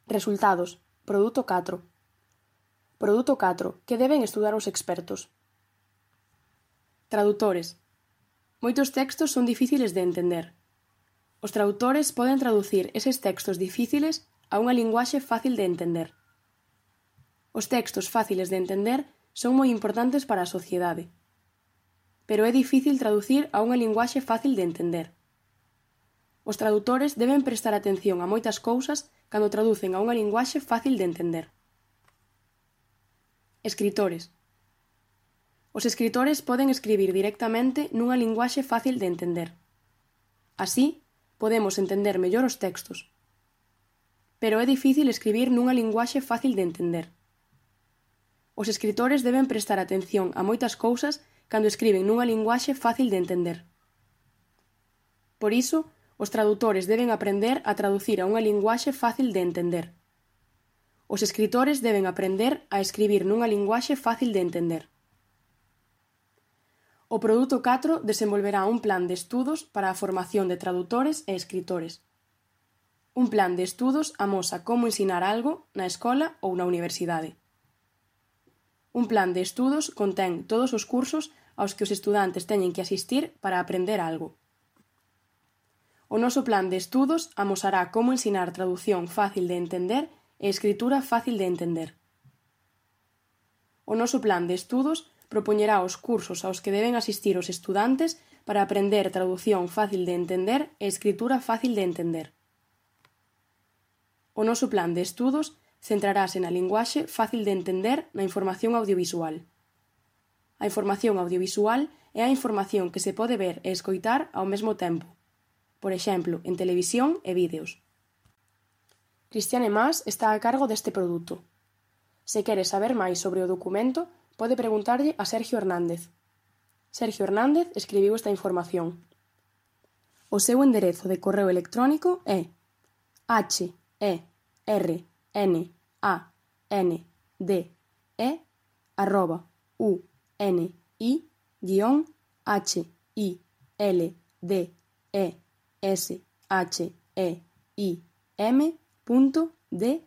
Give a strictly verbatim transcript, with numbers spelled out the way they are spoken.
Resultados. Produto catro. Produto catro. Que deben estudar os expertos? Tradutores. Moitos textos son difíciles de entender. Os tradutores poden traducir eses textos difíciles a unha linguaxe fácil de entender. Os textos fáciles de entender son moi importantes para a sociedade. Pero é difícil traducir a unha linguaxe fácil de entender. Os tradutores deben prestar atención a moitas cousas cando traducen a unha linguaxe fácil de entender. Escritores. Os escritores poden escribir directamente nunha linguaxe fácil de entender. Así, podemos entender mellor os textos. Pero é difícil escribir nunha linguaxe fácil de entender. Os escritores deben prestar atención a moitas cousas cando escriben nunha linguaxe fácil de entender. Por iso, os tradutores deben aprender a traducir a unha linguaxe fácil de entender. Os escritores deben aprender a escribir nunha linguaxe fácil de entender. O Produto catro desenvolverá un plan de estudos para a formación de tradutores e escritores. Un plan de estudos amosa como ensinar algo na escola ou na universidade. Un plan de estudos contén todos os cursos aos que os estudantes teñen que asistir para aprender algo. O noso plan de estudos amosará como ensinar tradución fácil de entender e escritura fácil de entender. O noso plan de estudos propoñerá os cursos aos que deben asistir os estudantes para aprender tradución fácil de entender e escritura fácil de entender. O noso plan de estudos centrarase na linguaxe fácil de entender na información audiovisual. A información audiovisual é a información que se pode ver e escoitar ao mesmo tempo, por exemplo, en televisión e vídeos. Cristiane Mas está a cargo deste produto. Se quere saber máis sobre o documento, pode preguntarlle a Sergio Hernández. Sergio Hernández escribiu esta información. O seu enderezo de correo electrónico é h e r n a n d e arroba u n i guión h i l d e s h e i m punto d